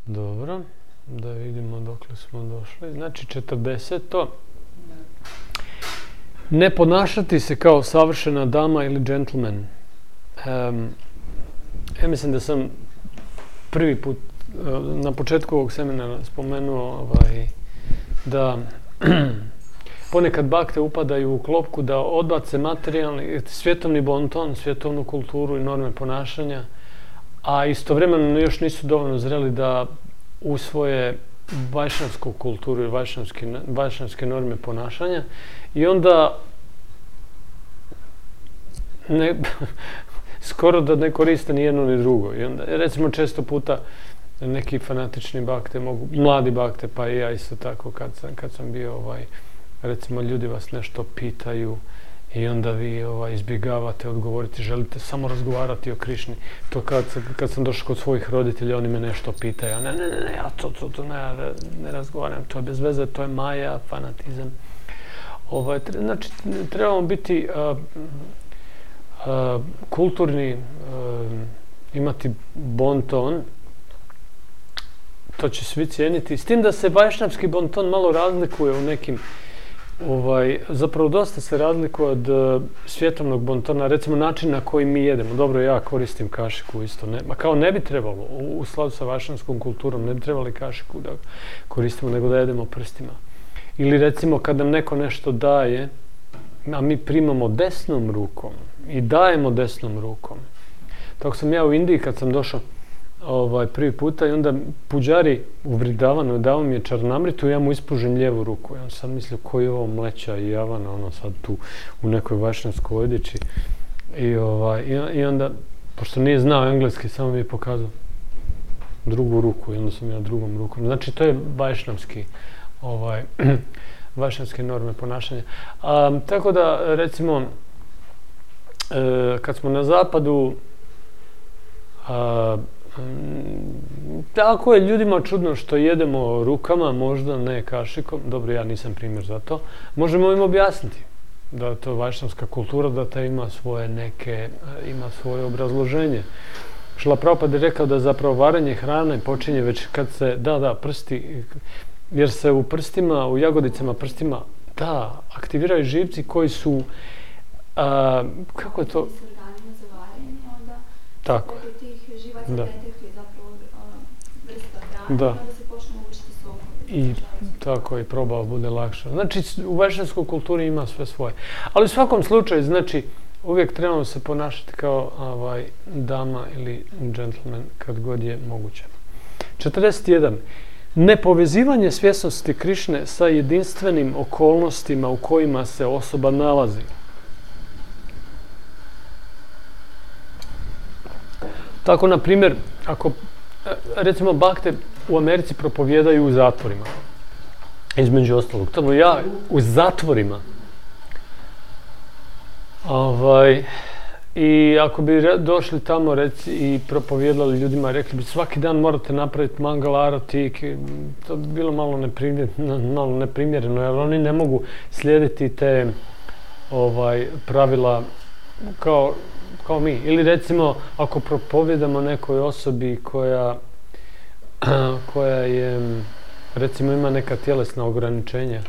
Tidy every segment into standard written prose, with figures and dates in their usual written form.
Dobro, da vidimo dokle smo došli. Znači, 40. Ne ponašati se kao savršena dama ili džentlmen. Ja mislim da sam prvi put na početku ovog seminara spomenuo da ponekad bakte upadaju u klopku da odbace materijalni, svjetovni bonton, svjetovnu kulturu i norme ponašanja, a istovremeno još nisu dovoljno zreli da usvoje vajšnavsku kulturu i vajšnavske norme ponašanja i onda skoro da ne koriste ni jedno ni drugo. I onda, recimo, često puta neki fanatični bakte mogu, mladi bakte, pa i ja isto tako kad sam bio, recimo, ljudi vas nešto pitaju i onda vi izbjegavate odgovoriti, želite samo razgovarati o Krišni. To kad sam došao kod svojih roditelja, oni me nešto pitaju, ne, ja to ne razgovaram, to je bez veze, to je maja, fanatizam. Znači, trebamo biti kulturni, imati bon ton, to će svi cijeniti, s tim da se vajšnavski bon ton malo razlikuje u nekim, zapravo dosta se razlikuje od svjetovnog bon tona, recimo način na koji mi jedemo. Dobro, ja koristim kašiku isto, kao ne bi trebalo, u skladu sa vajšnavskom kulturom, ne bi trebali kašiku da koristimo, nego da jedemo prstima. Ili recimo kad nam neko nešto daje, a mi primamo desnom rukom i dajemo desnom rukom. Tako sam ja u Indiji kad sam došao prvi puta i onda puđari uvridavano dao mi je čarnamritu i ja mu ispužem lijevu ruku. Ja sam mislio koji je ovo mleća i javana, sad tu u nekoj vajšnavskoj odjeći. I onda, pošto nije znao engleski, samo mi je pokazao drugu ruku i onda sam ja drugom rukom. Znači, to je vajšnavske norme ponašanja. Tako da, recimo, kad smo na zapadu, tako je ljudima čudno što jedemo rukama, možda ne kašikom. Dobro, ja nisam primjer za to. Možemo im objasniti da je to vajšnavska kultura, da ta ima svoje obrazloženje. Šrila Prabhupada je rekao da zapravo varenje hrane počinje već kad se, prsti, jer se u prstima, u jagodicama prstima, aktiviraju živci koji su, kako je to? Tako. Da. Da. I tako i probao bude lakše. Znači, u vajšnavskoj kulturi ima sve svoje. Ali u svakom slučaju, znači, uvijek trebamo se ponašati kao dama ili džentlmen kad god je moguće. 41. Nepovezivanje svjesnosti Krišne sa jedinstvenim okolnostima u kojima se osoba nalazi. Tako, na primjer, ako, recimo, bakte u Americi propovijedaju u zatvorima, između ostalog. Tamo ja u zatvorima. I ako bi došli tamo i propovijedali ljudima, rekli bi svaki dan morate napraviti mangal arati, to bi bilo malo neprimjereno, jer oni ne mogu slijediti te pravila kao mi. Ili recimo, ako propovijedamo nekoj osobi koja je, recimo, ima neka tjelesna ograničenja,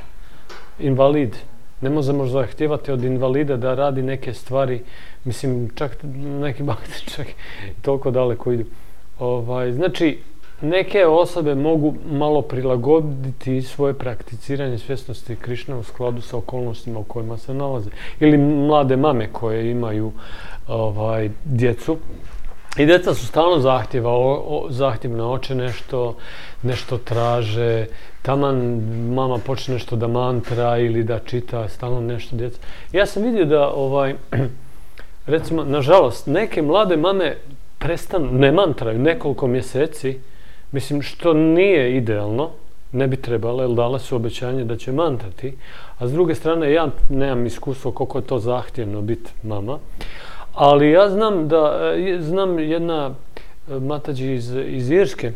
invalid, ne možemo zahtijevati od invalida da radi neke stvari, mislim, čak neki bakti čak toliko daleko idu. Znači, neke osobe mogu malo prilagoditi svoje prakticiranje svjesnosti Krišne u skladu sa okolnostima u kojima se nalaze. Ili mlade mame koje imaju djecu. I djeca su stalno zahtjevna, oče nešto traže, taman mama počne nešto da mantra ili da čita, stalno nešto djeca. Ja sam vidio da, recimo, nažalost, neke mlade mame ne mantraju nekoliko mjeseci, mislim, što nije idealno, ne bi trebalo, jer dale su obećanje da će mantrati, a s druge strane ja nemam iskustvo koliko je to zahtjevno biti mama, ali ja znam jedna matađi iz Irske,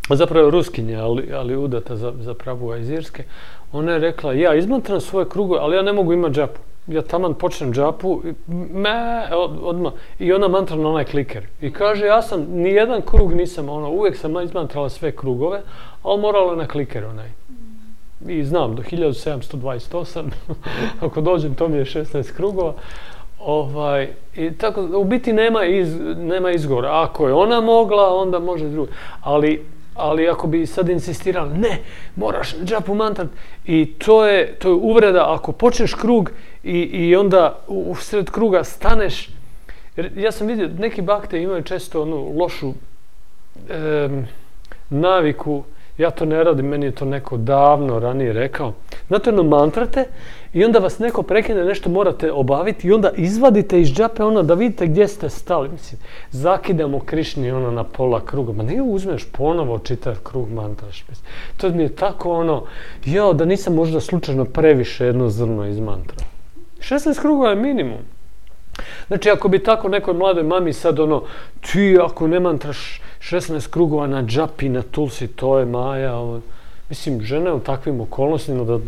zapravo Ruskinja, ali udata za Prabhuva iz Irske, ona je rekla, ja izmantram svoje krugove, ali ja ne mogu imati džapu. ja taman počnem džapu, odmah, i ona mantra na onaj kliker. I kaže, ja sam, nijedan krug nisam, uvijek sam izmantrala sve krugove, ali morala na kliker onaj. I znam, do 1728, ako dođem, to mi je 16 krugova. I tako, u biti nema izgovora. Ako je ona mogla, onda može drugi. Ali ako bi sad insistirali, ne, moraš džapu mantrat. I to je uvreda, ako počneš krug i onda u sred kruga staneš. Jer ja sam vidio, neki bakte imaju često onu lošu naviku, ja to ne radim, meni je to neko davno ranije rekao. Znate, mantrate i onda vas neko prekine, nešto morate obaviti i onda izvadite iz džape da vidite gdje ste stali. Mislim, zakidamo Krišni na pola kruga. Ma nije uzmeš ponovo čitav krug mantraš. Mislim. To mi je tako da nisam možda slučajno previše jedno zrno izmantrao. 16 krugova je minimum. Znači, ako bi tako nekoj mladoj mami sad ti ako ne mantraš 16 krugova na džapi, na tulsi, to je Maja. Mislim, žena u takvim okolnostima da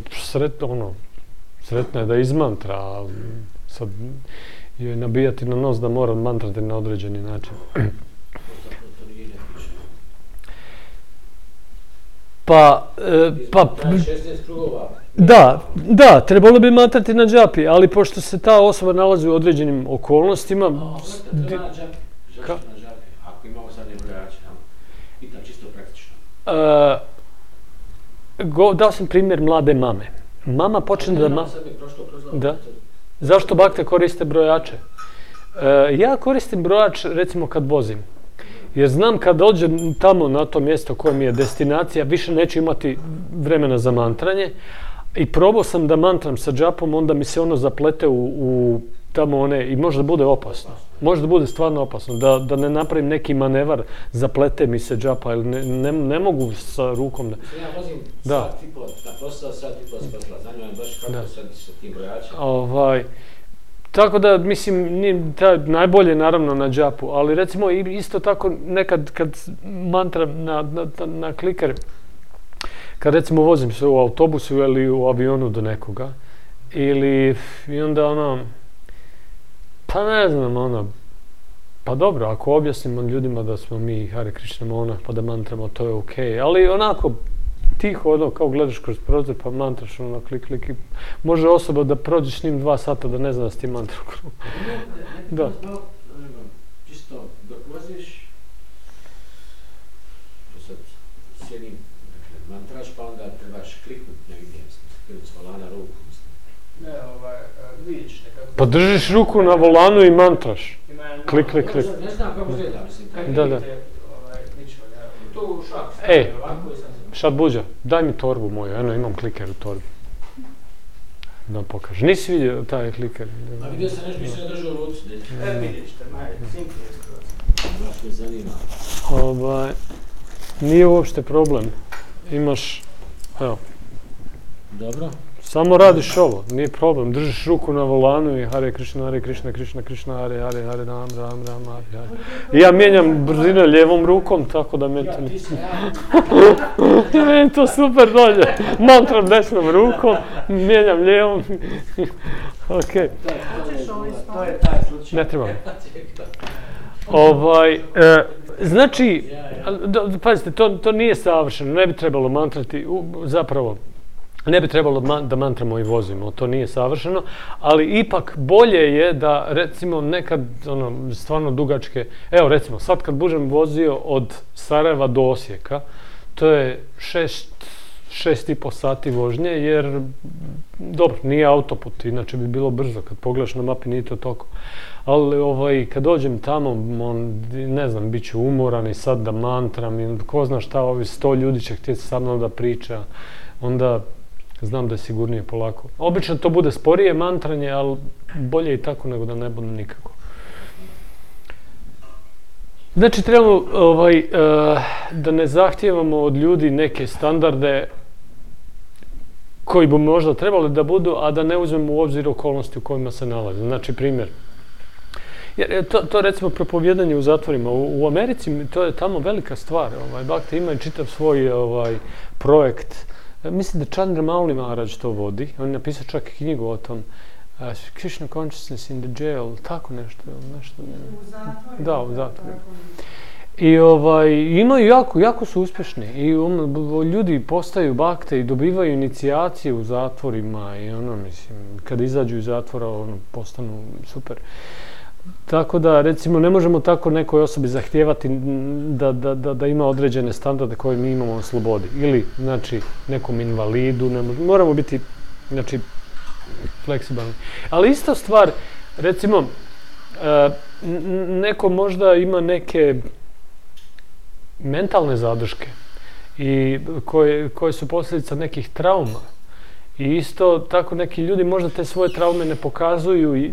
sretna je da izmantra, a sad joj nabijati na nos da mora mantrati na određeni način. Pa 16 krugova. Da, trebalo bi mantrati na džapi, ali pošto se ta osoba nalazi u određenim okolnostima... Treba na džapi. Zašto na džapi? Ako imamo sad nebrojače, pitam čisto praktično. Dao sam primjer mlade mame. Mama počne da... Zašto bakte koriste brojače? Ja koristim brojač recimo kad vozim. Jer znam kad dođem tamo na to mjesto koje mi je destinacija, više neću imati vremena za mantranje. I probao sam da mantram sa džapom, onda mi se zaplete u tamo i možda bude opasno. Možda bude stvarno opasno. Da ne napravim neki manevar, zaplete mi se džapa, ili ne mogu sa rukom da... Ja vozim sat i pol, na posao sat i pol spatla. Zanima me baš kako sad sa tim brojačima. Tako da, mislim, najbolje naravno na džapu, ali recimo isto tako nekad kad mantram na kliker, kad recimo vozim se u autobusu ili u avionu do nekoga, i onda pa ne znam, pa dobro, ako objasnimo ljudima da smo mi Hare Krishna monah pa da mantramo, to je okej, ali onako tiho, kao gledaš kroz prozor pa mantraš klik, klik i može osoba da prođeš s njim 2 sata da ne zna da si ti mantra u krugu. Da. Čisto dok voziš, sad sjedim, mantraš pa onda trebaš kliknuti negdje, kliknuti s volana ruku. Ne, vidiš nekako. Pa držiš ruku na volanu i mantraš. Klik, klik, klik. Ne znam kako izgleda, mislim. Da. Tu šak. Šad Buđa, daj mi torbu moju, imam kliker u torbi. Da pokažem. Nisi vidio taj kliker? A vidio sam nešto, mislim da držao u ruci. Vidiš te, simple je skroz. Baš me zanima. Nije uopšte problem. Imaš, evo. Dobro. Samo radiš ovo, nije problem. Držiš ruku na volanu i Hare Krishna, Krishna Krishna, Hare, Ram, Hare. I ja mijenjam brzinu lijevom rukom, tako da meni to... Meni to super dođe. Mantram desnom rukom, mijenjam lijevom. Okej. To je taj slučaj. Ne trebam. Znači, pazite, to nije savršeno, ne bi trebalo mantrati, zapravo, ne bi trebalo da mantramo i vozimo, to nije savršeno, ali ipak bolje je da recimo nekad stvarno dugačke, evo recimo sad kad budem vozio od Sarajeva do Osijeka, to je 6,5 sati vožnje, jer dobro, nije autoput, inače bi bilo brzo, kad pogledaš na mapi nije to toliko. Ali kad dođem tamo, ne znam, bit ću umoran i sad da mantram i ko zna šta, 100 ljudi će htjeti sa mnom da priča, onda znam da je sigurnije polako. Obično to bude sporije mantranje, ali bolje i tako nego da ne bude nikako. Znači, trebamo da ne zahtijevamo od ljudi neke standarde koji bi možda trebali da budu, a da ne uzmemo u obzir okolnosti u kojima se nalaze. Znači, primjer. Jer to recimo propovijedanje u zatvorima. U Americi to je tamo velika stvar. Bhakti ima i čitav svoj projekt. Mislim da Chandra Mauli Maharaj to vodi. On je napisao čak i knjigu o tom. Krishna consciousness in the jail, tako nešto. U zatvoru. Da, u zatvoru. I imaju jako su uspješni i ljudi postaju bakte i dobivaju inicijacije u zatvorima i kad izađu iz zatvora postanu super. Tako da, recimo, ne možemo tako nekoj osobi zahtijevati da ima određene standarde koje mi imamo na slobodi. Ili, znači, nekom invalidu, moramo biti, znači, fleksibilni. Ali ista stvar, recimo, neko možda ima neke mentalne zadrške i koje su posljedica nekih trauma. I isto tako neki ljudi možda te svoje traume ne pokazuju i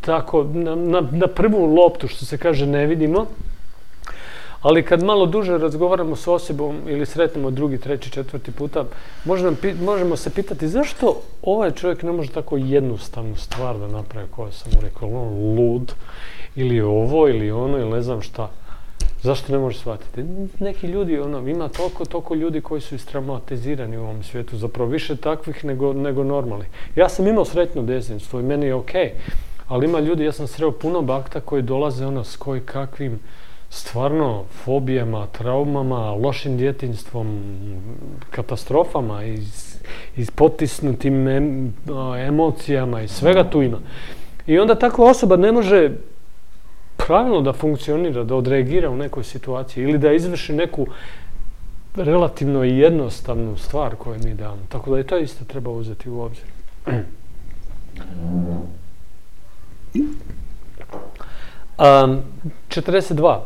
tako na prvu loptu, što se kaže, ne vidimo. Ali kad malo duže razgovaramo s osobom ili sretnemo drugi, treći, četvrti puta, možemo se pitati zašto ovaj čovjek ne može tako jednostavnu stvar da napravi, koja sam mu rekao, lud, ili ovo, ili ono, ili ne znam šta. Zašto ne može shvatiti? Neki ljudi, ima toliko ljudi koji su istraumatizirani u ovom svijetu, zapravo više takvih nego normalnih. Ja sam imao sretno djetinjstvo i meni je okej, ali ima ljudi, ja sam sreo puno bakta koji dolaze s koji kakvim stvarno fobijama, traumama, lošim djetinjstvom, katastrofama i potisnutim emocijama i svega tu ima. I onda takva osoba ne može pravilno da funkcionira, da odreagira u nekoj situaciji ili da izvrši neku relativno jednostavnu stvar koju mi damo. Tako da i to isto treba uzeti u obzir. 42.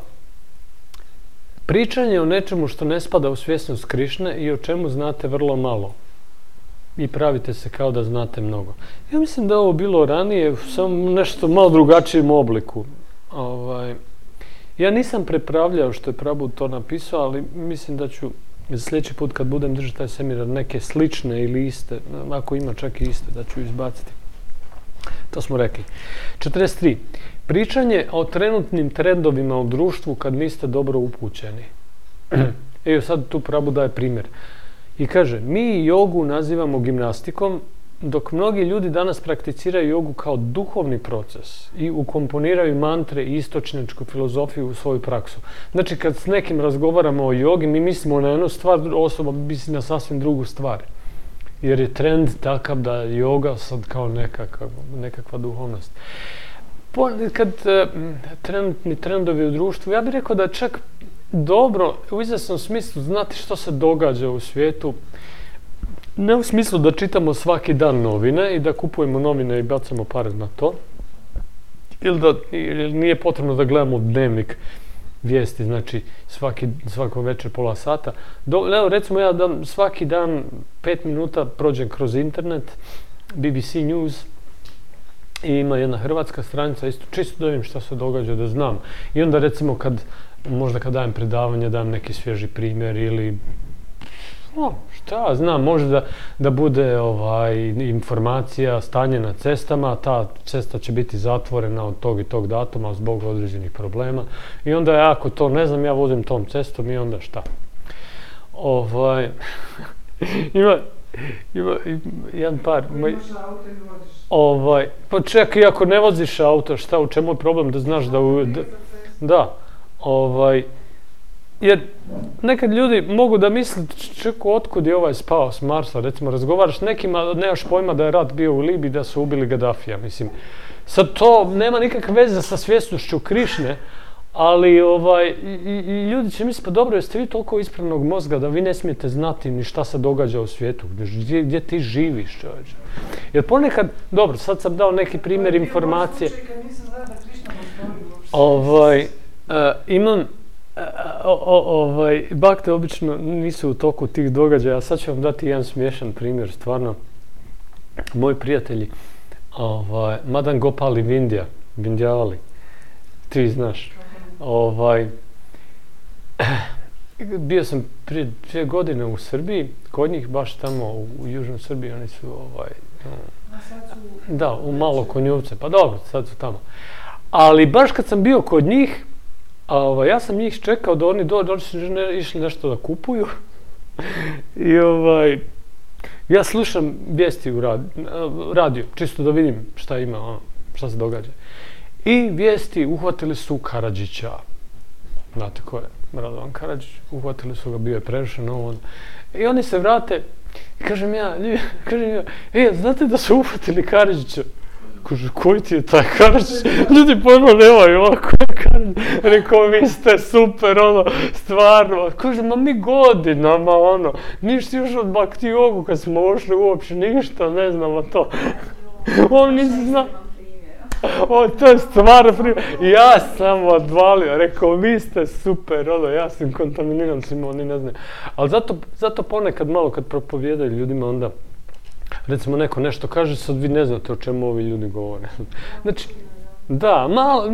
Pričanje o nečemu što ne spada u svjesnost Krišne i o čemu znate vrlo malo. I pravite se kao da znate mnogo. Ja mislim da ovo bilo ranije, samo nešto malo drugačijem obliku. Ja nisam prepravljao što je Prabhu to napisao, ali mislim da ću za sljedeći put kad budem držati taj seminar neke slične ili iste, ako ima čak i iste, da ću izbaciti. To smo rekli. 43. Pričanje o trenutnim trendovima u društvu kad niste dobro upućeni. Evo sad tu Prabhu daje primjer. I kaže, mi jogu nazivamo gimnastikom, dok mnogi ljudi danas prakticiraju jogu kao duhovni proces i ukomponiraju mantre i istočnjačku filozofiju u svoju praksu. Znači, kad s nekim razgovaramo o jogi, mi mislimo na jednu stvar, osoba misli na sasvim drugu stvar. Jer je trend takav da je joga sad kao nekakva duhovnost. Kad trenutni trendovi u društvu, ja bih rekao da je čak dobro u izvjesnom smislu znati što se događa u svijetu. Ne u smislu da čitamo svaki dan novine i da kupujemo novine i bacamo pare na to. Ili nije potrebno da gledamo dnevnik vijesti, znači svako večer pola sata. Recimo ja svaki dan 5 minuta prođem kroz internet, BBC News, i ima jedna hrvatska stranica, isto čisto da vidim šta se događa, da znam. I onda recimo možda kad dajem predavanje, dajem neki svježi primjer ili šta znam, može da bude informacija, stanje na cestama, ta cesta će biti zatvorena od tog i tog datuma zbog određenih problema. I onda ja, ako to ne znam, ja vozim tom cestom i onda šta? Ima jedan par... Pa čekaj, i ako ne voziš auto, šta, u čemu je problem da znaš da... Jer nekad ljudi mogu da misle, čekaj, otkud je ovaj spao s Marsa, recimo razgovaraš s nekim, a nemaš pojma da je rat bio u Libiji, da su ubili Gaddafija, mislim. Sad to nema nikakve veze sa svjesnošću Krišne, ali i ljudi će misliti, pa dobro, jeste vi toliko ispravnog mozga da vi ne smijete znati ni šta se događa u svijetu, gdje ti živiš, čovječe. Jer ponekad, dobro, sad sam dao neki primjer informacije. Imam, bakte obično nisu u toku tih događaja, sad ću vam dati jedan smiješan primjer, stvarno. Moji prijatelji, Madan Gopal i Vindjavali, ti znaš. Bio sam prije 2 godine u Srbiji, kod njih baš tamo u južnoj Srbiji, oni su da, u Malo Konjuvce, pa dobro, sad su tamo. Ali baš kad sam bio kod njih, ja sam njih čekao da oni dođu, išli nešto da kupuju. Ja slušam vijesti u radiju, čisto da vidim šta ima, šta se događa. I vijesti uhvatili su Karadžića. Znate ko je Radovan Karadžić? Uhvatili su ga, bio je prerušen, I oni se vrate i kažem ja, znate da su uhvatili Karadžića? Kaže, koji ti je taj Karadžić? Ljudi pojma nemaju, ko je Karadžić? Rekao, vi ste super, stvarno. Kaže, ma mi godinama, ništa još od Baktiogu kad smo ušli uopće, ništa, ne znamo to. On nisi zna. To je stvarno primjer. Ja sam odvalio, rekao, vi ste super, ja sam kontaminiran svima, oni ne znaju. Ali zato ponekad malo kad propovijedaju ljudima onda, recimo neko nešto kaže, sad vi ne znate o čemu ovi ljudi govore. Znači, da,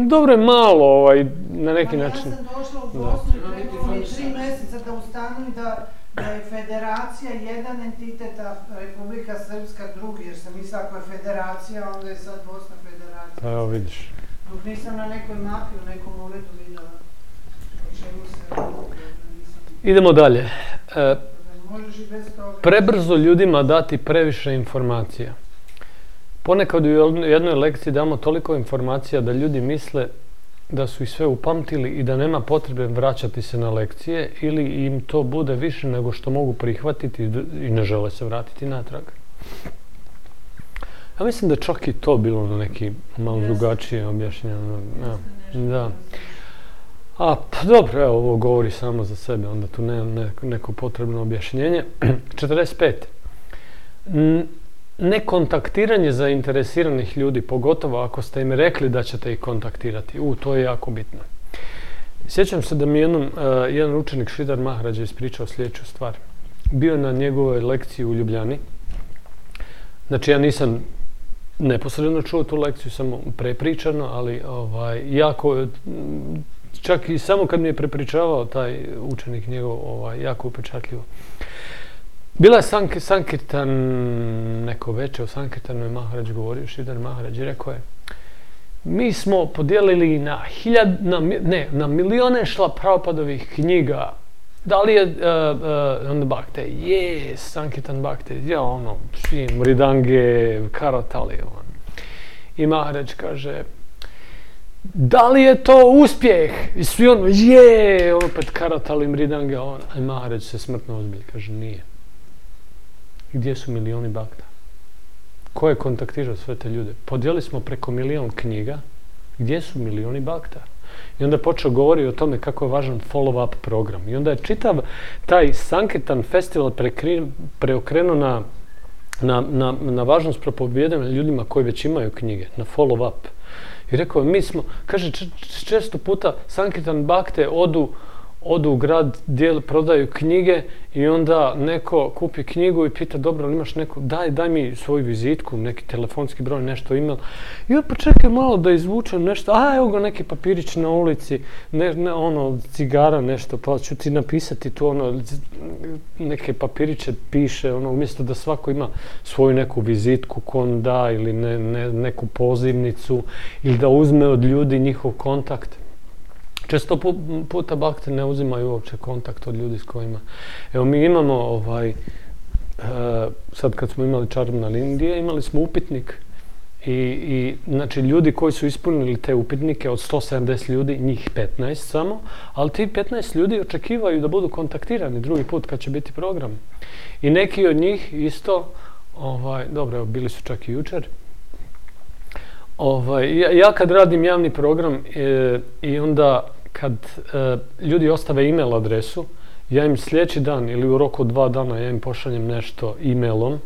dobro je malo na neki način. Ja sam došla u Bosnu i trebalo mi 3 mjeseca da ustanovim da je federacija jedan entitet, a Republika Srpska drugi, jer sam mislila ako je federacija, onda je sad Bosna federacija. Pa evo vidiš. Dok nisam na nekoj mapi, u nekom uredu vidjela o čemu se Idemo dalje. Možeš i bez toga. Prebrzo ljudima dati previše informacija. Ponekad u jednoj lekciji damo toliko informacija da ljudi misle da su ih sve upamtili i da nema potrebe vraćati se na lekcije ili im to bude više nego što mogu prihvatiti i ne žele se vratiti natrag. Ja mislim da čak i to bilo na neki malo drugačije objašnjeno. Da. Pa dobro, evo, ovo govori samo za sebe, onda tu nema neko potrebno objašnjenje. 45. Nekontaktiranje zainteresiranih ljudi, pogotovo ako ste im rekli da ćete ih kontaktirati. To je jako bitno. Sjećam se da mi jedan učenik Šridhar Maharađa ispričao sljedeću stvar. Bio na njegovoj lekciji u Ljubljani. Znači, ja nisam neposredno čuo tu lekciju, samo prepričano, ali jako, čak i samo kad mi je prepričavao taj učenik njegov, jako upečatljivo. Bila je Sankirtan, neko večer u Sankirtanu je Maharađ govorio, Šridhar Maharađ, i rekao je, mi smo podijelili na milijone Prabhupadovih knjiga. Da li je onda Bhakte? Yes, Sankirtan Bhakte. Mridange, Karatali. I Maharađ kaže, da li je to uspjeh? I svi opet Karatali, Mridange. I Maharađ se smrtno ozbilji, kaže, nije. Gdje su milioni Bhakta? Ko je kontaktirao sve te ljude? Podijeli smo preko 1.000.000 knjiga. Gdje su milioni Bhakta? I onda je počeo govoriti o tome kako je važan follow-up program. I onda je čitav taj Sankirtan festival preokrenuo na važnost propovijedanja ljudima koji već imaju knjige, na follow-up. I rekao, kaže, često puta Sankirtan Bhakte odu u grad, prodaju knjige i onda neko kupi knjigu i pita, dobro, ali imaš neku, daj mi svoju vizitku, neki telefonski broj, nešto email. I pa čekaj malo da izvučem nešto, evo ga neki papirić na ulici, cigara nešto, pa ću ti napisati tu neke papiriće piše, umjesto da svako ima svoju neku vizitku ko on da ili neku pozivnicu ili da uzme od ljudi njihov kontakt. Često puta Bhakte ne uzimaju uopće kontakt od ljudi s kojima. Evo, mi imamo sad kad smo imali Čarobna Indije, imali smo upitnik i znači ljudi koji su ispunili te upitnike od 170 ljudi, njih 15 samo, ali ti 15 ljudi očekivaju da budu kontaktirani drugi put kad će biti program. I neki od njih isto, dobro, evo, bili su čak i jučer. Ja kad radim javni program i onda kad ljudi ostave e-mail adresu, ja im sljedeći dan ili u roku od 2 dana ja im pošaljem nešto e-mailom,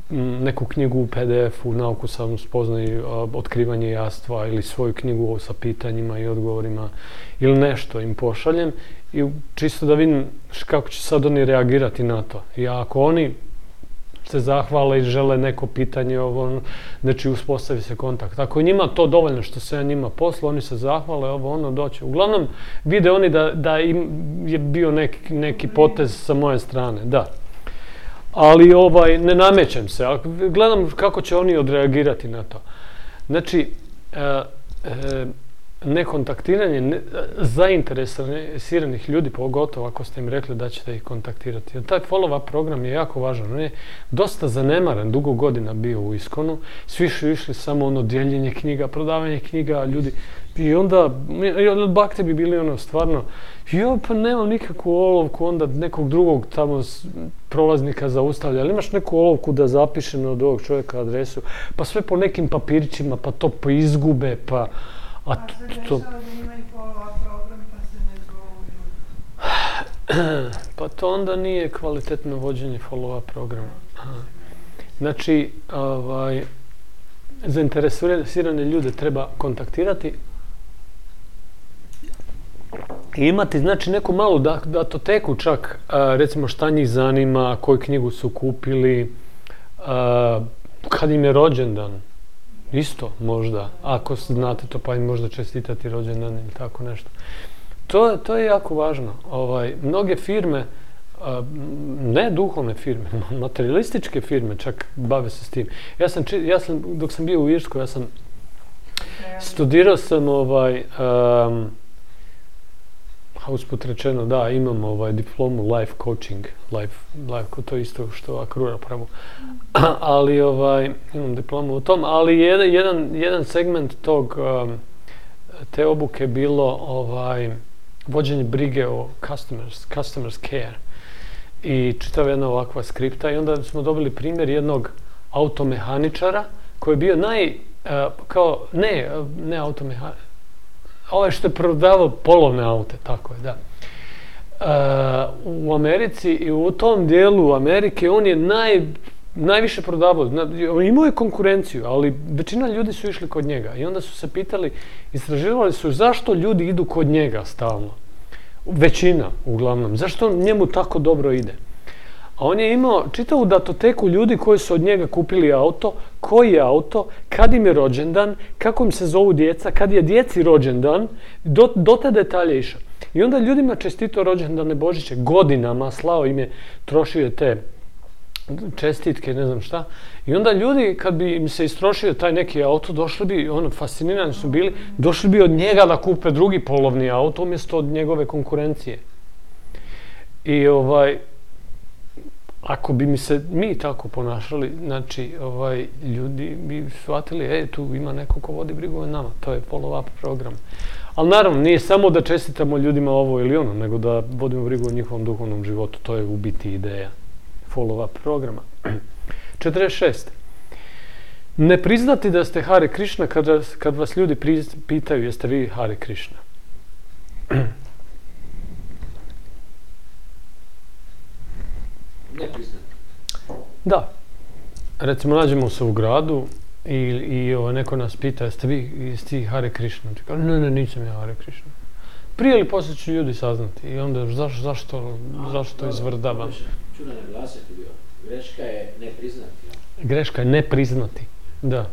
neku knjigu u PDF-u, nauku samospoznaje, otkrivanje jastva ili svoju knjigu sa pitanjima i odgovorima ili nešto im pošaljem i čisto da vidim kako će sad oni reagirati na to. I ako oni se zahvale i žele neko pitanje, znači uspostavi se kontakt. Ako je njima to dovoljno što se ja njima poslao, oni se zahvale, doće. Uglavnom, vide oni da im je bio neki potez sa moje strane, da. Ali ne namećem se, ali gledam kako će oni odreagirati na to. Znači, nekontaktiranje zainteresiranih ljudi, pogotovo ako ste im rekli da ćete ih kontaktirati. Taj follow-up program je jako važan. On je dosta zanemaren, dugo godina bio u Iskonu. Svi su išli samo dijeljenje knjiga, prodavanje knjiga, ljudi. I onda, bakte bi bili stvarno, pa nemam nikakvu olovku, onda nekog drugog tamo prolaznika zaustavlja, ali imaš neku olovku da zapiše od ovog čovjeka adresu, pa sve po nekim papirićima, pa to izgube, pa... A se dešava da imaju follow-up program pa se ne zovu ljudi. Pa to onda nije kvalitetno vođenje follow-up programa. Znači, zainteresirane ljude treba kontaktirati i imati, znači, neku malu datoteku čak, recimo šta njih zanima, koju knjigu su kupili, kad im je rođendan. Isto, možda, ako znate to, pa im možda čestitati rođendan ili tako nešto. To je jako važno. Mnoge firme, ne duhovne firme, materialističke firme čak bave se s tim. Dok sam bio u Irskoj, ja sam studirao sam usput rečeno, da, imam diplomu life coaching, to je isto što Akrura pravu. Ali imam diplomu u tom, ali jedan segment te obuke bilo vođenje brige o customers care. I čitava jedna ovakva skripta i onda smo dobili primjer jednog automehaničara koji je bio ne automehaničar, ovaj što je prodavao polovne aute, tako je, da. U Americi i u tom dijelu Amerike on je najviše prodavao. Imao je konkurenciju, ali većina ljudi su išli kod njega. I onda su se pitali, istraživali su zašto ljudi idu kod njega stalno. Većina, uglavnom. Zašto njemu tako dobro ide? A on je imao čitavu datoteku ljudi koji su od njega kupili auto, koji je auto, kad im je rođendan, kako im se zovu djeca, kad je djeci rođendan, do te detalje išao. I onda ljudima čestito rođendane Božiće, godinama slao im je, trošio je te čestitke, ne znam šta. I onda ljudi, kad bi im se istrošio taj neki auto, došli bi, fascinirani su bili, došli bi od njega da kupe drugi polovni auto umjesto od njegove konkurencije. I ako bi mi tako ponašali, znači, ljudi bi shvatili, tu ima neko ko vodi brigu o nama, to je follow-up program. Ali naravno, nije samo da čestitamo ljudima ovo ili ono, nego da vodimo brigu o njihovom duhovnom životu, to je u biti ideja follow-up programa. 46. Ne priznati da ste Hare Krishna kad vas ljudi pitaju jeste vi Hare Krishna. Ne priznati. Da. Recimo, nađemo se u gradu i neko nas pita jeste vi Hare Krishna. Ne, nisam ja Hare Krishna. Prije ili poslije će ljudi saznati i onda zašto izvrdavam. Ću naglasiti bio. Greška je ne priznati. Greška je ne priznati, da.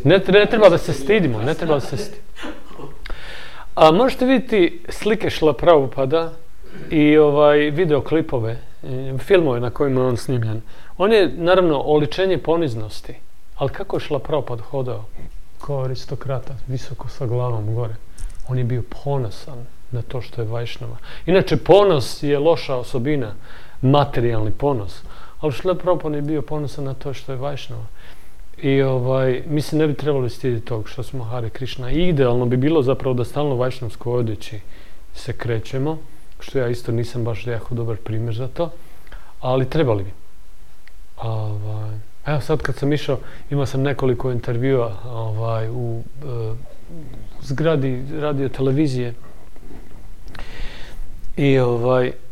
Ne treba da se stidimo, ne treba da se stidimo. A možete vidjeti slike Šrila Prabhupada i videoklipove, filmove na kojima je on snimljen. On je, naravno, oličenje poniznosti. Ali kako je Šrila Prabhupada hodao? Kao aristokrata, visoko sa glavom gore. On je bio ponosan na to što je Vajšnava. Inače, ponos je loša osobina, materijalni ponos. Ali Šrila Prabhupada je bio ponosan na to što je Vajšnava. I mi se ne bi trebali stiditi tog što smo Hare Krishna. I idealno bi bilo zapravo da stalno u vajšnavskoj odjeći se krećemo, što ja isto nisam baš jako dobar primjer za to, ali trebali bi. Evo sad kad sam išao, imao sam nekoliko intervjua u zgradi radio televizije i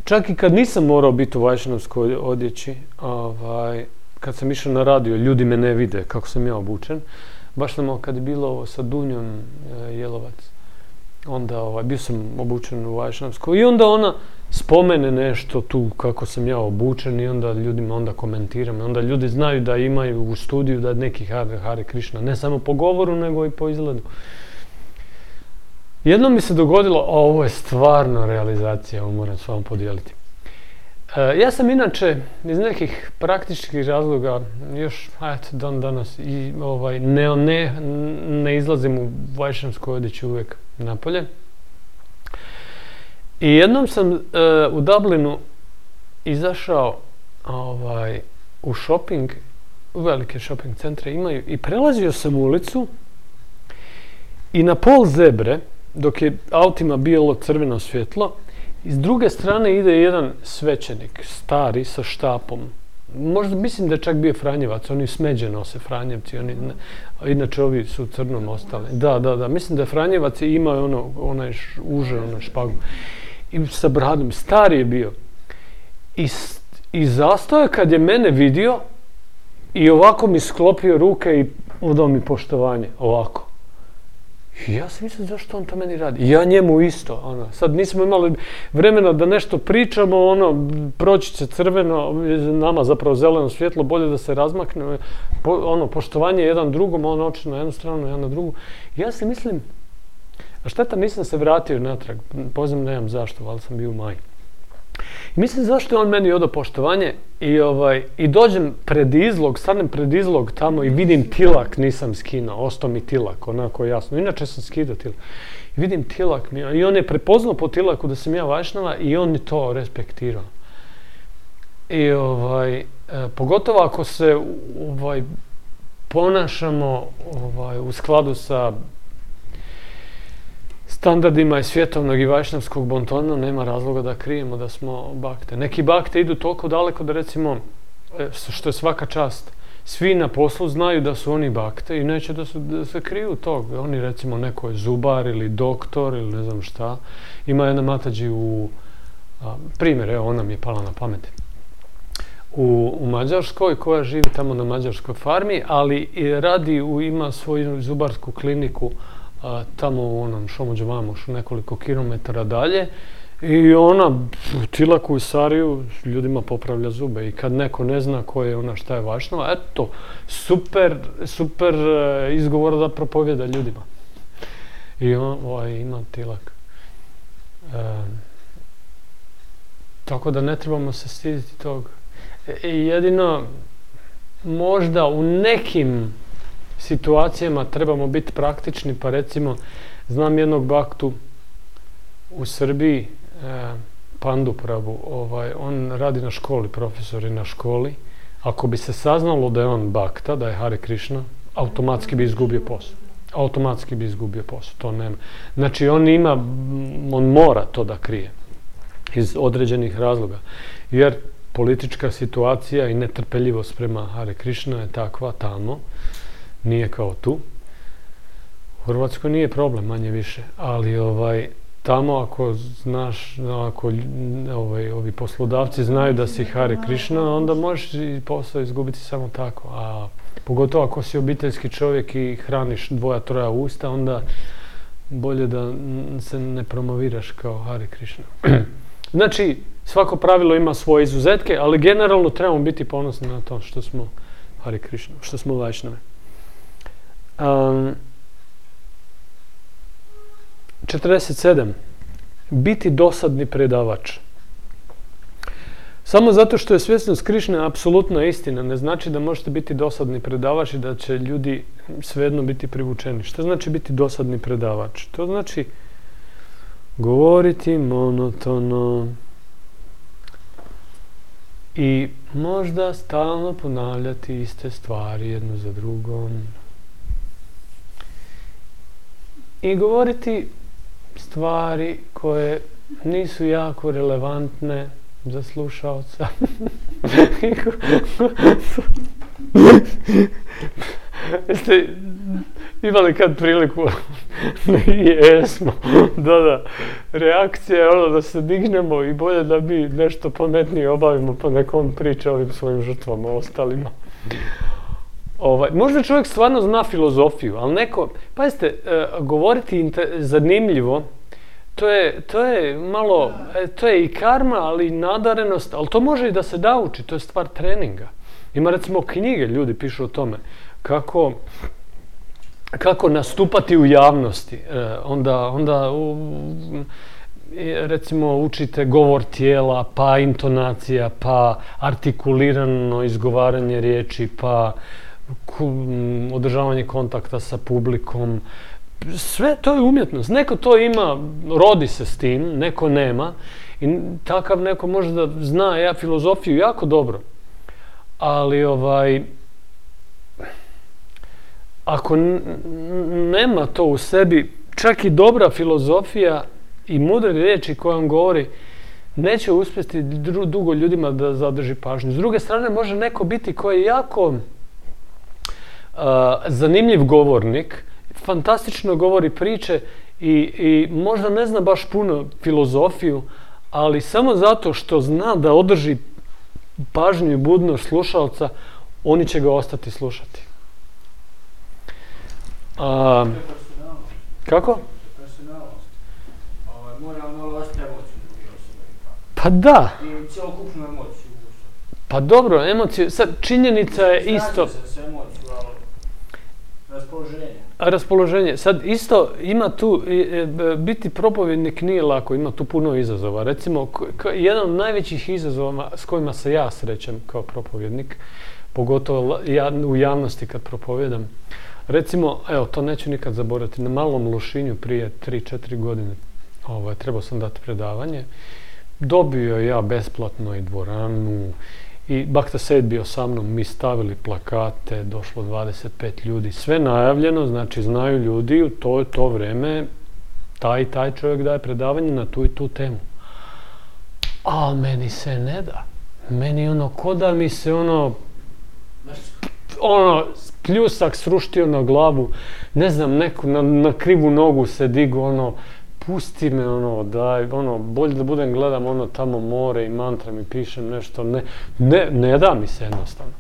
čak i kad nisam morao biti u vajšnavskoj odjeći, kad sam išao na radio, ljudi me ne vide kako sam ja obučen. Baš nam kad je bilo ovo sa Dunjom Jelovac, onda bio sam obučen u vajšnavskoj i onda ona spomene nešto tu kako sam ja obučen i onda ljudima onda komentiram. Onda ljudi znaju da imaju u studiju da neki Hare Krishna, ne samo po govoru nego i po izgledu. Jednom mi se dogodilo, ovo je stvarno realizacija, ovo moram s vama podijeliti. Ja sam inače iz nekih praktičkih razloga još dan danas i ne izlazim u vajšnavskoj odjeći uvijek. napolje. I jednom sam u Dublinu izašao u shopping, u velike shopping centre imaju, i prelazio sam ulicu i na pol zebre, dok je autima bilo crveno svjetlo, i s druge strane ide jedan svećenik, stari, sa štapom. Možda mislim da je čak bio Franjevac, oni smeđe nose Franjevci, inače ovi su crnom ostali. Da, mislim da je Franjevac i imao onaj špagu. I sa bradom, stari je bio. I zastao je kad je mene vidio i ovako mi sklopio ruke i odao mi poštovanje, ovako. I ja sam mislio zašto on to meni radi. I ja njemu isto. Sad nismo imali vremena da nešto pričamo, proći će crveno, nama zapravo zeleno svjetlo, bolje da se razmakne. Poštovanje jedan drugom, on oči na jednu stranu, ja na drugu. I ja si mislim, a šteta nisam se vratio natrag, pozivam nemam zašto, ali sam bio u Maji. I mislim zašto je on meni odao poštovanje i dođem pred izlog, stanem pred izlog tamo i vidim tilak, nisam skinuo, ostao mi tilak, onako jasno. Inače sam skidao tilak. I vidim tilak i on je prepoznao po tilaku da sam ja Vajšnava i on mi to respektirao. I pogotovo ako se ponašamo u skladu sa standardima i svjetovnog i vajšnavskog bontona, nema razloga da krijemo da smo bakte. Neki bakte idu toliko daleko da recimo, što je svaka čast, svi na poslu znaju da su oni bakte i neće da se kriju tog. Oni recimo neko je zubar ili doktor ili ne znam šta. Ima jedna matađi primjer, evo ona mi je pala na pamet, u Mađarskoj, koja živi tamo na mađarskoj farmi, ali ima svoju zubarsku kliniku tamo u onom Šomođevamošu, nekoliko kilometara dalje, i ona tilaku i sariju ljudima popravlja zube. I kad neko ne zna ko je ona, šta je Vajšnava, eto, super izgovor da propovjeda ljudima. I on ima tilak. Tako da ne trebamo se stiditi toga. Jedino, možda u nekim situacijama trebamo biti praktični, pa recimo, znam jednog baktu u Srbiji, Pandu Prabu, on radi na školi, profesor je na školi. Ako bi se saznalo da je on bakta, da je Hare Krishna, automatski bi izgubio posao. To nema. Znači, on mora to da krije iz određenih razloga. Jer politička situacija i netrpeljivost prema Hare Krishna je takva tamo, nije kao tu. U Hrvatskoj nije problem, manje više, ali tamo ako znaš, ako ovi poslodavci znaju da si Hare Krishna, onda možeš i posao izgubiti samo tako. A pogotovo ako si obiteljski čovjek i hraniš 2-3 usta, onda bolje da se ne promoviraš kao Hare Krishna. Znači, svako pravilo ima svoje izuzetke, ali generalno trebamo biti ponosni na to što smo Hare Krishna, što smo Vajšnave. 47. Biti dosadni predavač. Samo zato što je svjesnost Krišne apsolutna istina, ne znači da možete biti dosadni predavač i da će ljudi svejedno biti privučeni. Što znači biti dosadni predavač? To znači govoriti monotono i možda stalno ponavljati iste stvari jednu za drugom. I govoriti stvari koje nisu jako relevantne za slušaoca. Jeste imali kad priliku? Jesmo. Da. Reakcija je da se dignemo i bolje da mi nešto pametnije obavimo, pa neko on priča ovim svojim žrtvama, ostalima. Možda čovjek stvarno zna filozofiju, ali neko, pazite, govoriti zanimljivo, to je malo, to je i karma, ali i nadarenost, ali to može i da se nauči, to je stvar treninga. Ima recimo knjige, ljudi pišu o tome, kako nastupati u javnosti, onda recimo učite govor tijela, pa intonacija, pa artikulirano izgovaranje riječi, pa održavanje kontakta sa publikom, Sve to je umjetnost. Neko to ima, rodi se s tim, neko nema. I takav neko može da zna filozofiju jako dobro. Ali ako nema to u sebi, čak i dobra filozofija i mudre riječi koje on govori, neće uspjeti dugo ljudima da zadrži pažnju. S druge strane, može neko biti koji je jako zanimljiv govornik, fantastično govori priče i možda ne zna baš puno filozofiju, ali samo zato što zna da održi pažnju i budnost slušalca, oni će ga ostati slušati. Kako? Personalnost. Mora malo ostati emociju druge osobe. Pa da. I cijelokupnu emociju. Pa dobro, emociju. Sad, činjenica je isto. Slažem se s emociju, ali raspoloženje. Raspoloženje. Sad, isto ima tu, biti propovjednik nije lako, ima tu puno izazova. Recimo, jedan od najvećih izazova s kojima se ja srećem kao propovjednik, pogotovo u javnosti kad propovjedam, recimo, evo, to neću nikad zaboraviti, na Malom Lošinju prije 3-4 godine trebao sam dati predavanje. Dobio ja besplatno i dvoranu i Bakta Sejed bio sa mnom, mi stavili plakate, došlo 25 ljudi, sve najavljeno, znači znaju ljudi u to vreme taj i taj čovjek daje predavanje na tu i tu temu. A meni se ne da. Meni ko da mi se pljusak sruštio na glavu, ne znam, neko na krivu nogu se digu, pusti me, daj, bolje da budem gledam tamo more i mantra mi pišem nešto, ne da mi se jednostavno.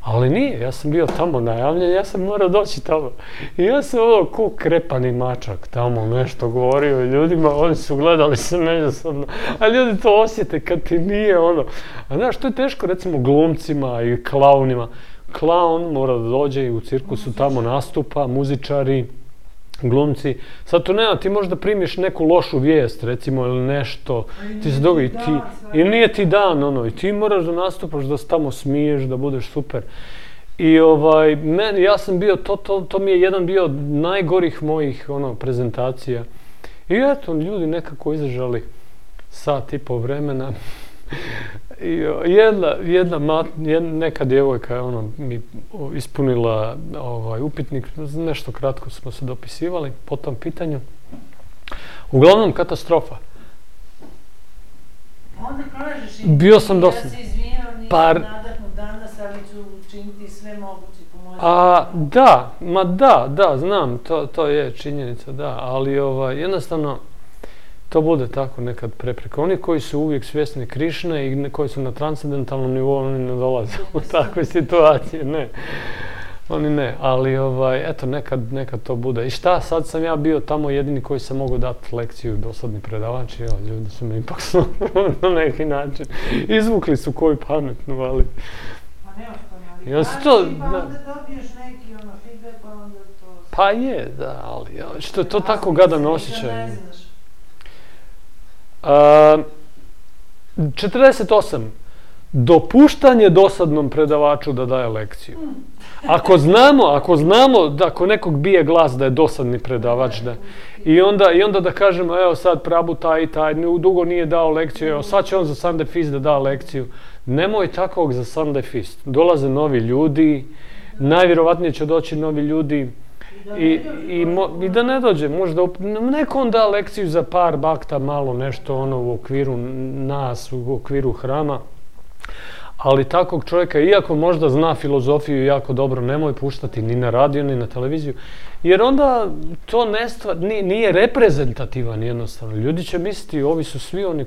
Ali nije, ja sam bio tamo najavljen, ja sam morao doći tamo. I ja sam ko krepani mačak tamo nešto govorio ljudima, oni su gledali se međusobno, a ljudi to osjete kad ti nije A znaš, to je teško recimo glumcima i klaunima. Klaun mora da dođe i u cirkusu tamo nastupa, muzičari, glumci. Sad to nema, ti možda primiš neku lošu vijest, recimo, ili nešto, ti se dogodi, i nije ti dan, i ti moraš da nastupaš, da se tamo smiješ, da budeš super. I ja sam bio, to mi je jedan bio najgorih mojih, prezentacija. I eto, ljudi nekako izdržali sat i po vremena. I neka djevojka je mi ispunila upitnik, nešto kratko smo se dopisivali po tom pitanju. Uglavnom katastrofa. Onda kažeš i bio sam ja se izvinjam, nisam nadahnut danas, ali ću učiniti sve moguće pomoći. Da, znam, to je činjenica, da, ali jednostavno to bude tako nekad prepreka. Oni koji su uvijek svjesni Krišne i koji su na transcendentalnom nivou, oni ne dolaze u takve situacije, ne. Oni ne, ali eto, nekad to bude. I šta, sad sam ja bio tamo jedini koji sam mogao dati lekciju, dosadni predavač, i ljudi su me ipak na neki način izvukli su koju pametnu, ali... Pa nema što navikati, pa onda dobiješ neki feedback, pa onda to... Pa je, da, ali što je to tako gadan osjećaj. 48. Dopuštanje dosadnom predavaču da daje lekciju. Ako znamo da ako nekog bije glas da je dosadni predavač, i onda da kažemo, evo sad Prabhu taj i taj, dugo nije dao lekciju, evo sad će on za Sunday Feast da da lekciju. Nemoj takvog za Sunday Feast. Dolaze novi ljudi, najvjerovatnije će doći novi ljudi, i da ne dođe, možda neko on da lekciju za par bakta, malo nešto u okviru nas, u okviru hrama, ali takvog čovjeka, iako možda zna filozofiju jako dobro, nemoj puštati ni na radio, ni na televiziju, jer onda to nije reprezentativan jednostavno. Ljudi će misliti, ovi su svi oni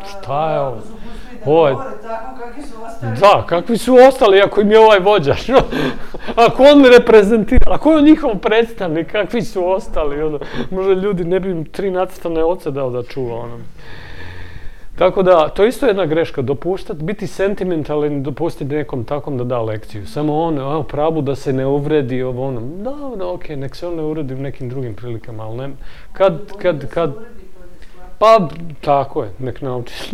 šta je ovo? Da, kakvi su ostali ako im je ovaj vođaš? Ako on reprezentira, ako je on njihov predstavnik, kakvi su ostali? Možda ljudi ne bi im 3 nacrtane oce dao da čuva. Tako da, to je isto jedna greška, biti sentimentalan i dopustiti nekom takom da da lekciju. Samo Prabhu da se ne uvredi Da, okej, nek se on ne uvredi u nekim drugim prilikama, ali ne. Pa, tako je, nek naučiš.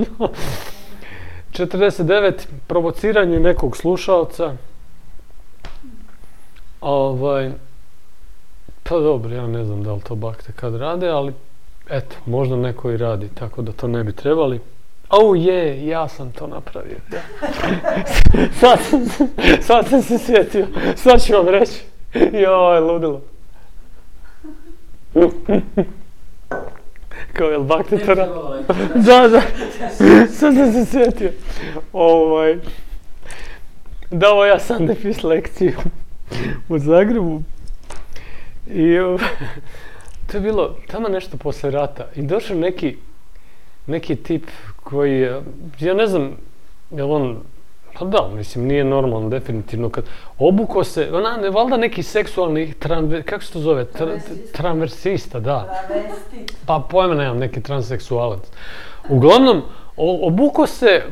49. Provociranje nekog slušalca. Pa dobro, ja ne znam da li to bakte kad rade, ali eto, možda neko i radi, tako da to ne bi trebali. Ja sam to napravio. Ja. sad sam se sjetio, sad ću vam reći. Joj, ludilo. Kao, jel bakte to radi? Da, sad sam se sjetio. Dao ja Sunday Fist lekciju u Zagrebu i to je bilo tamo nešto poslije rata i došao neki tip koji, ja ne znam, jel on, pa da, mislim, nije normalno, definitivno, kad obuko se, valjda neki seksualni, kako se to zove, transversista, da. Pa pojma nemam, neki transseksualac. Uglavnom, obuko se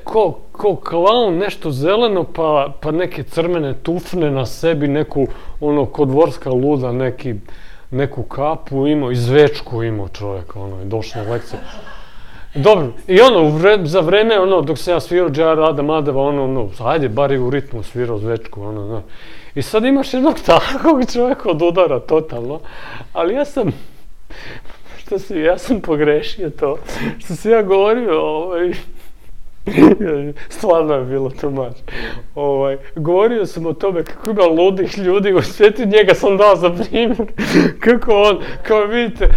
ko klaun, nešto zeleno, pa neke crvene tufne na sebi, neku, ko dvorska luda, neku kapu imao, i zvečku imao čovjek, i došao na lekciju. Dobro, i za vreme, dok sam ja svirao Džar Adam Adeva, ajde, bar je u ritmu svirao zvečku, I sad imaš jednog takvog čovjeka od udara, totalno, ali ja sam pogrešio to, što sam ja govorio, stvarno je bilo too much. Govorio sam o tome kako ima ludih ljudi u svijetu, njega sam dao za primjer. Kako on, kao vidite,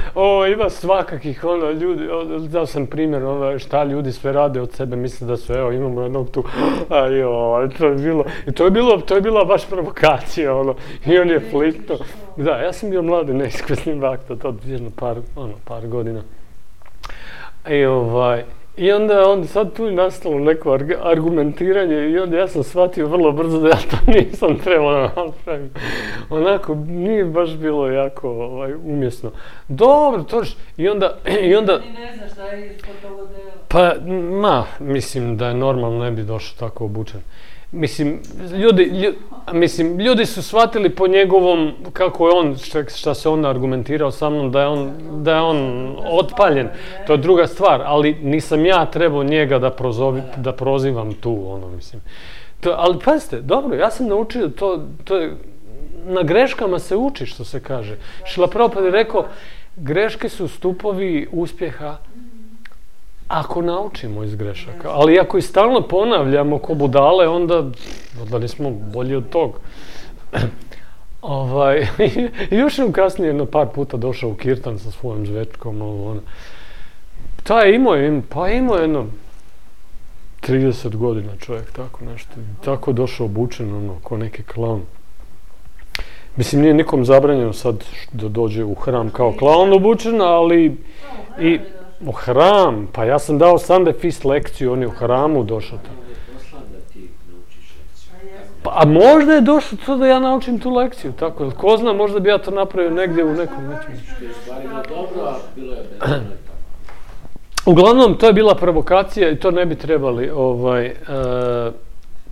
ima svakakih ljudi, dao sam primjer šta ljudi sve rade od sebe, misle da su, imamo jednog tu, to je bila baš provokacija, i on je fliknuo. Da, ja sam bio mladi neiskusni bakta, to vježno par godina. I onda sad tu je nastalo neko argumentiranje i onda ja sam shvatio vrlo brzo da ja to nisam trebao napraviti. Onako, nije baš bilo jako umjesno. Dobro, točno. I onda... Ti ne znaš šta je ispod toga dela. Pa, mislim da je normalno ne bi došao tako obučen. Ljudi su shvatili po njegovom, kako je on, šta se on argumentirao sa mnom, da je on otpaljen. To je druga stvar, ali nisam ja trebao njega da prozivam tu, mislim. Ali pazite, dobro, ja sam naučio, to je, na greškama se uči, što se kaže. Šrila Prabhupada je rekao, greške su stupovi uspjeha, ako naučimo iz grešaka, ali ako i stalno ponavljamo ko budale, onda nismo bolji od tog. Još sam kasnije jedno par puta došao u kirtan sa svojom zvečkom, imao jedno 30 godina čovjek, tako nešto, tako došao obučen, ko neki klaun. Mislim, nije nikom zabranjeno sad da dođe u hram kao klaun obučen, ali i... U hram, pa ja sam dao Sunday Fist lekciju, on je u hramu došao tamo. A možda je došlo to da ja naučim tu lekciju, tako, ko zna, možda bi ja to napravio negdje u nekom nečem. Uglavnom, to je bila provokacija i to ne bi trebali,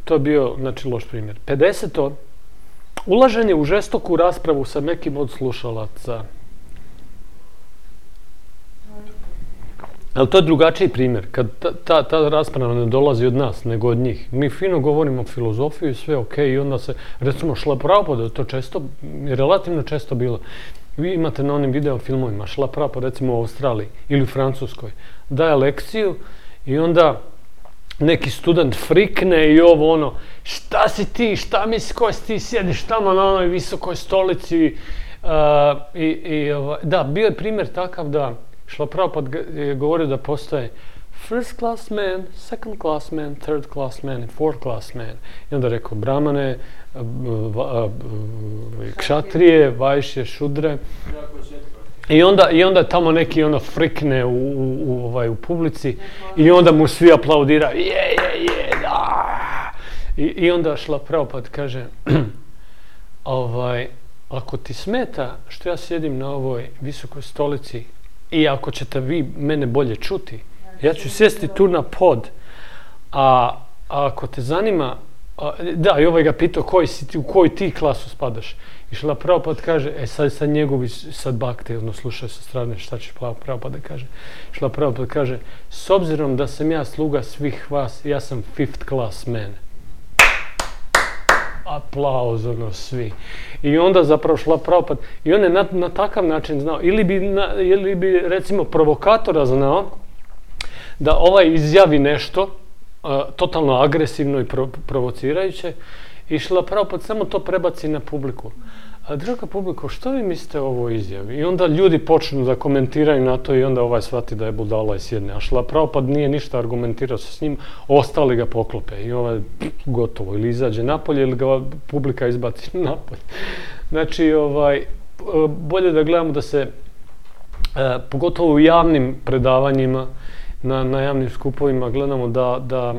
to je bio, loš primjer. 50. Ulaženje u žestoku raspravu sa nekim od slušalaca. Ali to je drugačiji primjer, kad ta rasprava ne dolazi od nas, nego od njih. Mi fino govorimo o filozofiju i sve i onda se, recimo, Šrila Prabhupada, to je relativno često bilo. Vi imate na onim video filmovima, Šrila Prabhupada, recimo u Australiji ili u Francuskoj, daje lekciju i onda neki student frikne i šta si ti, šta misliš, ko si ti, sjediš tamo na onoj visokoj stolici. Da, bio je primjer takav da Šrila Prabhupada je govorio da postoje first class man, second class man, third class man i fourth class man. I onda rekao brahmane, kšatrije, vajšje, šudre. I onda tamo neki frikne u publici i onda mu svi aplaudiraju. Da! I onda Šrila Prabhupada kaže ako ti smeta što ja sjedim na ovoj visokoj stolici i ako ćete vi mene bolje čuti, ja ću sjesti tu na pod, a ako te zanima, da, i ga pitao u koju ti klasu spadaš. I Šrila Prabhupada kaže, sad njegovi bakte, slušaju sa strane šta će Prabhupada kaže. Šrila Prabhupada kaže, s obzirom da sam ja sluga svih vas, ja sam fifth class man. aplauz, ono, svi. I onda zapravo šla Prabhupada. I on je na takav način znao, ili bi recimo provokatora znao, da ovaj izjavi nešto, totalno agresivno i provocirajuće, i šla Prabhupada samo to prebaci na publiku. A draga publiko, što vi mislite o ovoj izjavi? I onda ljudi počnu da komentiraju na to i onda ovaj shvati da je budala i sjedne. A šla Prabhupada nije ništa argumentirao s njim, ostali ga poklope i ovaj gotovo. Ili izađe napolje ili ga publika izbaci napolje. Znači, bolje da gledamo da se, pogotovo u javnim predavanjima, na javnim skupovima, gledamo da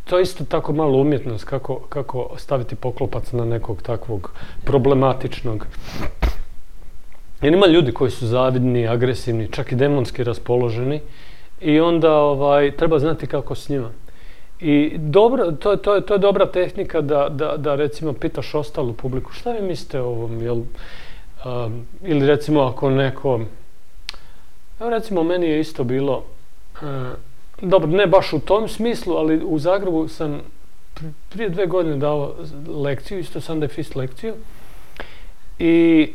to je isto tako malo umjetnost, kako staviti poklopac na nekog takvog problematičnog. Jer ima ljudi koji su zavidni, agresivni, čak i demonski raspoloženi i onda treba znati kako s njima. I to je dobra tehnika da recimo pitaš ostalu publiku šta vi mislite o ovom, ili recimo ako neko, evo recimo meni je isto bilo, dobro, ne baš u tom smislu, ali u Zagrebu sam prije 2 godine dao lekciju, isto Sunday Feast lekciju. I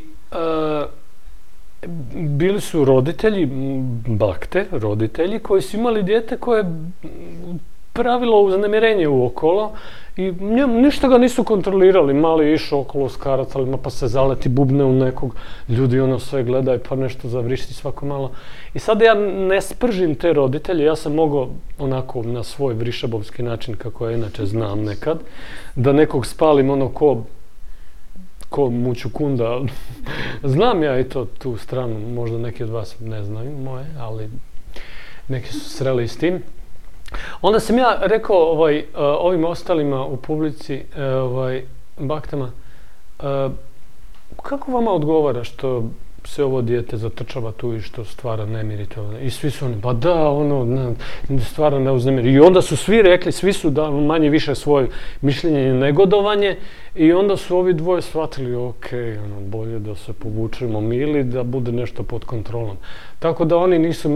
bili su roditelji, bakte, roditelji koji su imali dijete koje pravilo uznemirenje uokolo i ništa ga nisu kontrolirali. Mali je išao okolo s karacalima pa se zaleti, bubne u nekog, ljudi ono sve gledaju pa nešto zavrišti svako malo. I sad ja ne spržim te roditelje, ja sam mogao onako na svoj vrišabovski način, kako ja inače znam nekad, da nekog spalim ono ko muću kunda. Znam ja i tu stranu, možda neki od vas ne znaju moje, ali neki su sreli s tim. Onda sam ja rekao ovim ostalima u publici, baktama, kako vama odgovara što se ovo dijete zatrčava tu i što stvara nemir i to? I svi su oni, pa da, stvara neuznemir. I onda su svi rekli, svi su da manje više svoje mišljenje i negodovanje i onda su ovi dvoje shvatili, ok, bolje da se povučemo mi ili da bude nešto pod kontrolom. Tako da oni nisu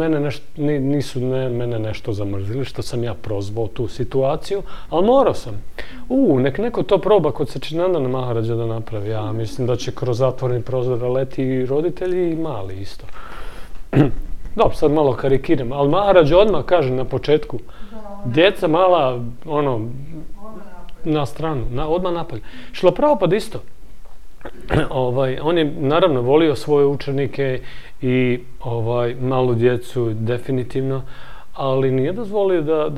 mene nešto zamrzili, što sam ja prozvao tu situaciju, ali morao sam. Nek neko to proba kod Sačinandana Maharađa da napravi. Ja mislim da će kroz zatvoreni prozor leti i roditelji i mali isto. Dobro, sad malo karikiram, ali Maharađ odmah kaže na početku, djeca mala, na stranu, odmah napolje. Šla Prabhupada isto. On je naravno volio svoje učenike i malu djecu definitivno, ali nije dozvolio da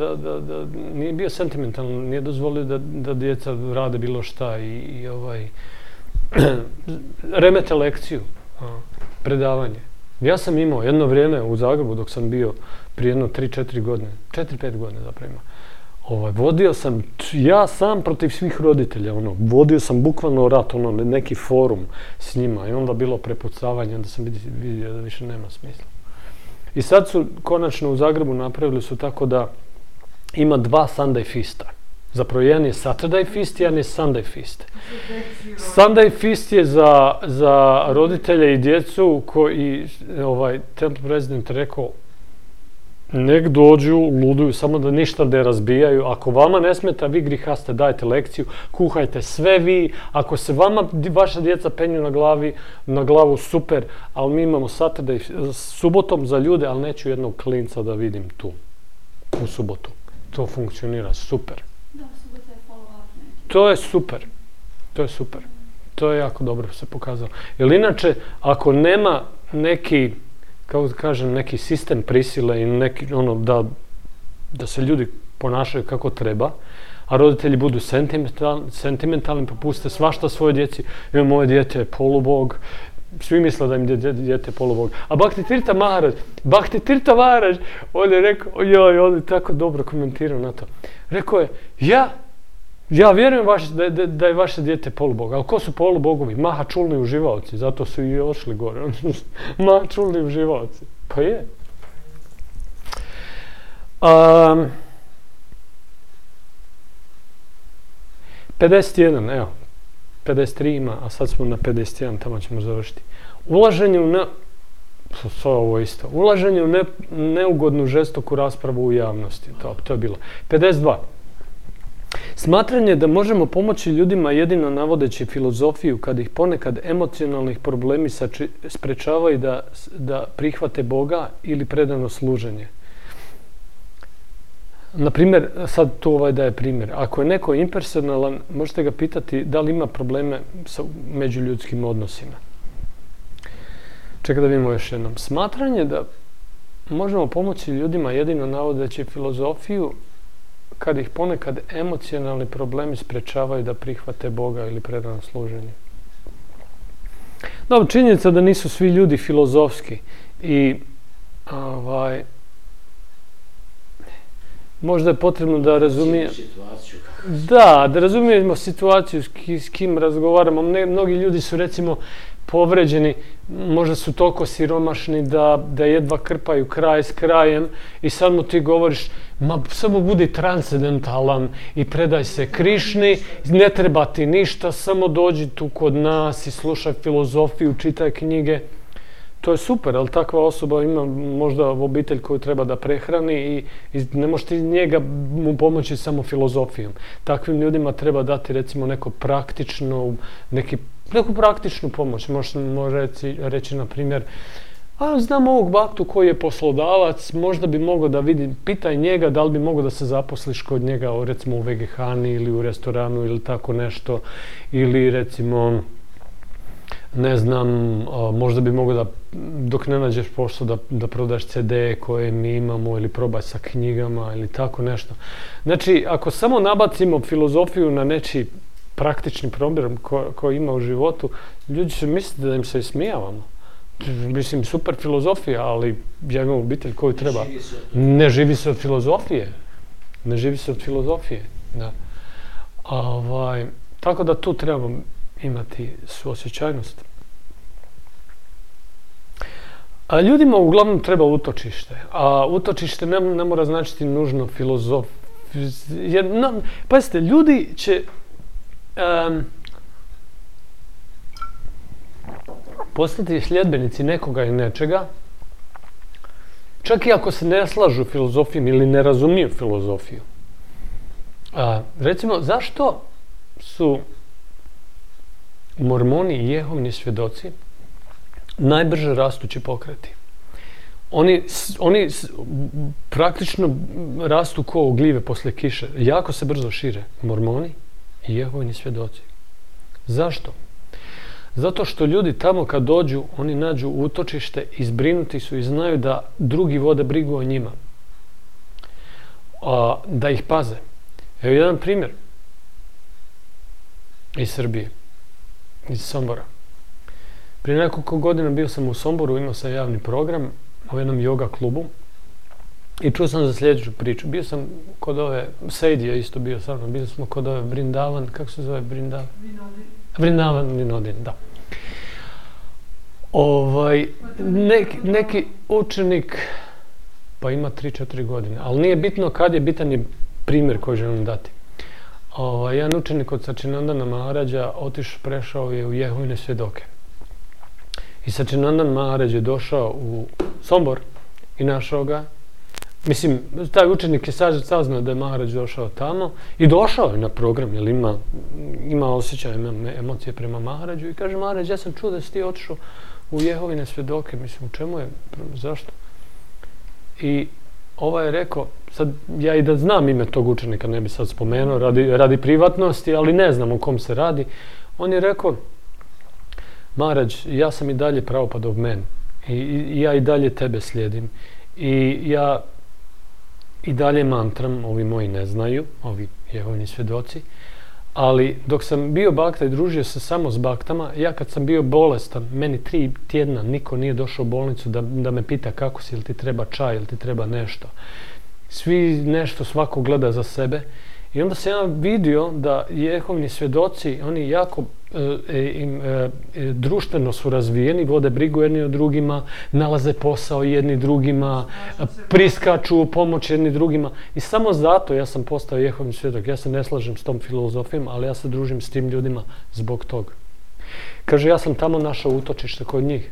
nije bio sentimentalan, nije dozvolio da djeca rade bilo šta i remete lekciju, predavanje. Ja sam imao jedno vrijeme u Zagrebu dok sam bio prije jedno 3-4 godine, 4-5 godina zapravo imao. Vodio sam, ja sam protiv svih roditelja, vodio sam bukvalno rat, neki forum s njima i onda bilo prepucavanje, onda sam vidio da više nema smisla. I sad su konačno u Zagrebu napravili su tako da ima 2 Sunday Feasta. Zapravo jedan je Saturday Feast, jedan je Sunday Feast. Sunday Feast je za roditelje i djecu koji Temple President rekao nek dođu, luduju, samo da ništa ne razbijaju. Ako vama ne smeta, vi grihaste, dajte lekciju, kuhajte sve vi. Ako se vama vaša djeca penju na glavu, super, ali mi imamo Saturday, subotom za ljude, ali neću jednog klinca da vidim tu, u subotu. To funkcionira super. Da, subota je follow-up. To je super. To je jako dobro se pokazalo. Jer inače, ako nema neki, kako da kažem, neki sistem prisile i neki, da se ljudi ponašaju kako treba, a roditelji budu sentimentalni, pa puste svašta svoje djeci. Moje dijete je polubog, svi misle da im dijete je polubog. A Bhakti Tirtha Maharaj, on je rekao, on je tako dobro komentirao na to. Rekao je, ja vjerujem da je vaše dijete polubog, ali ko su polubogovi? Mahačulni uživaoci, zato su i ošli gore. Mahačulni uživaoci. Pa je. 51, evo. 53 ima, a sad smo na 51, tamo ćemo završiti. Ulaženje u neugodnu žestoku raspravu u javnosti. To je bilo. 52. Smatranje da možemo pomoći ljudima jedino navodeći filozofiju kad ih ponekad emocionalnih problemi sprečavaju da prihvate Boga ili predano služenje. Na primjer, sad tu daje primjer. Ako je neko impersonalan, možete ga pitati da li ima probleme sa međuljudskim odnosima. Čekaj da vidimo još jednom. Smatranje da možemo pomoći ljudima jedino navodeći filozofiju kad ih ponekad emocionalni problemi sprečavaju da prihvate Boga ili predano služenje. Dobro, činjenica da nisu svi ljudi filozofski i možda je potrebno da razumijemo da razumijemo situaciju s kim razgovaramo. Mnogi ljudi su recimo povređeni, možda su toliko siromašni da jedva krpaju kraj s krajem i sad mu ti govoriš samo budi transcendentalan i predaj se Krišni, ne treba ti ništa, samo dođi tu kod nas i slušaj filozofiju, čitaj knjige. To je super, ali takva osoba ima možda obitelj koju treba da prehrani i ne možeš ti njega mu pomoći samo filozofijom. Takvim ljudima treba dati recimo neku praktičnu pomoć. Može reći na primjer, znam ovog baktu koji je poslodavac, možda bi mogao da vidi, pitaj njega da li bi mogao da se zaposliš kod njega recimo u vegehani ili u restoranu ili tako nešto, ili recimo ne znam, možda bi mogao da dok ne nađeš posao da prodaš CD koje mi imamo ili probaj sa knjigama ili tako nešto. Znači, ako samo nabacimo filozofiju na nečiji praktični problem koji ima u životu, ljudi će misliti da im se ismijavamo. Mislim, super filozofija, ali ja imam obitelj koju treba. Ne živi se od filozofije. Ne živi se od filozofije. Da. Tako da tu trebamo imati suosjećajnost. A ljudima uglavnom treba utočište. A utočište ne mora značiti nužno pazite, ljudi će postati sljedbenici nekoga i nečega, čak i ako se ne slažu filozofijom ili ne razumiju filozofiju. Recimo, zašto su Mormoni i Jehovini svjedoci najbrže rastući pokreti? Oni praktično rastu ko gljive poslije kiše. Jako se brzo šire. Mormoni i Jehovini svjedoci. Zašto? Zato što ljudi tamo kad dođu, oni nađu utočište, izbrinuti su i znaju da drugi vode brigu o njima. Da ih paze. Evo jedan primjer iz Srbije, iz Sombora. Prije nekoliko godina bio sam u Somboru, imao sam javni program u jednom yoga klubu i čuo sam za sljedeću priču. Bio sam kod ove, Seidi je isto bio sa mnom, bili smo kod ove Vrindavan, kako se zove Vrindavan? Vrindavan Vinodin, da. Neki učenik, pa ima 3-4 godine, ali nije bitno kad je, bitan je primjer koji želim dati. Jedan učenik od Sačinandana Maharađa prešao je u Jehovine svjedoke. I Sačinandan Maharaj je došao u Sombor i našao ga. Mislim, taj učenik je saznao da je Maharaj došao tamo i došao je na program, jer ima osjećaj, ima emocije prema Maharađu i kaže: Maharaj, ja sam čuo da si ti otišao u Jehovine svjedoke, mislim, u čemu je, zašto? I ovaj je rekao, sad ja i da znam ime tog učenika, ne bi sad spomenuo radi privatnosti, ali ne znam o kom se radi. On je rekao: Maharaj, ja sam i dalje Prabhupadov men i ja i dalje tebe slijedim i ja i dalje mantram, ovi moji ne znaju, ovi Jehovini svjedoci, ali dok sam bio bakta i družio se samo s baktama, ja kad sam bio bolestan, meni 3 tjedna niko nije došao u bolnicu da me pita kako si, ili ti treba čaj, ili ti treba nešto. Svi nešto, svako gleda za sebe. I onda sam ja vidio da Jehovini svjedoci, oni jako društveno su razvijeni, vode brigu jedni o drugima, nalaze posao jedni drugima, priskaču u pomoć jedni drugima. I samo zato ja sam postao Jehovin svjedok. Ja se ne slažem s tom filozofijom, ali ja se družim s tim ljudima zbog toga. Kaže, ja sam tamo našao utočište kod njih.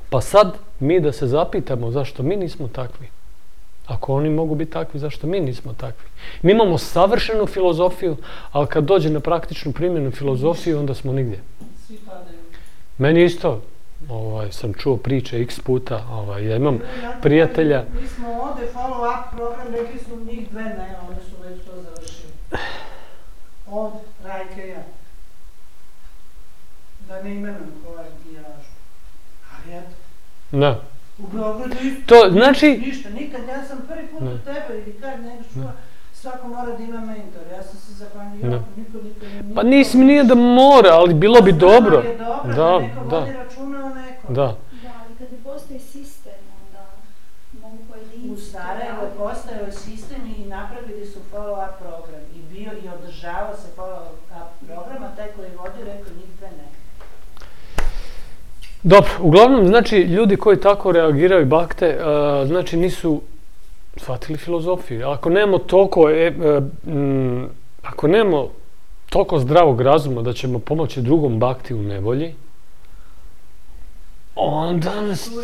Pa sad mi da se zapitamo zašto mi nismo takvi. Ako oni mogu biti takvi, zašto mi nismo takvi? Mi imamo savršenu filozofiju, ali kad dođe na praktičnu primjenu filozofiju, onda smo nigdje. Svi padaju. Meni isto, sam čuo priče x puta, ja imam prijatelja. Mi smo ovdje follow-up program, rekli su njih dve ne, oni su već to završili. Od Rajkeja. Da ne imenujem koja giražu. Ali eto. Da. U Beogradu isto. To znači... Ništa, nikad, ja sam prvi put u tebe ili kad nego čuva, svako mora da ima mentor. Ja sam se zapanjio, niko Pa nije da mora, ali bilo bi dobro. Je dobro, da neko vodi računa o nekom. Da. Da, ali kad ne postoji sistem, onda mogu pojedinci... U Sarajevo je postojao sistem i napravili su follow-up program. I održavao se follow-up program, a taj koji vodi rekao njih dve ne. Dobro, uglavnom, znači, ljudi koji tako reagiraju bakte, znači nisu shvatili filozofiju. Ako nemamo toliko zdravog razuma da ćemo pomoći drugom bakti u nevolji, onda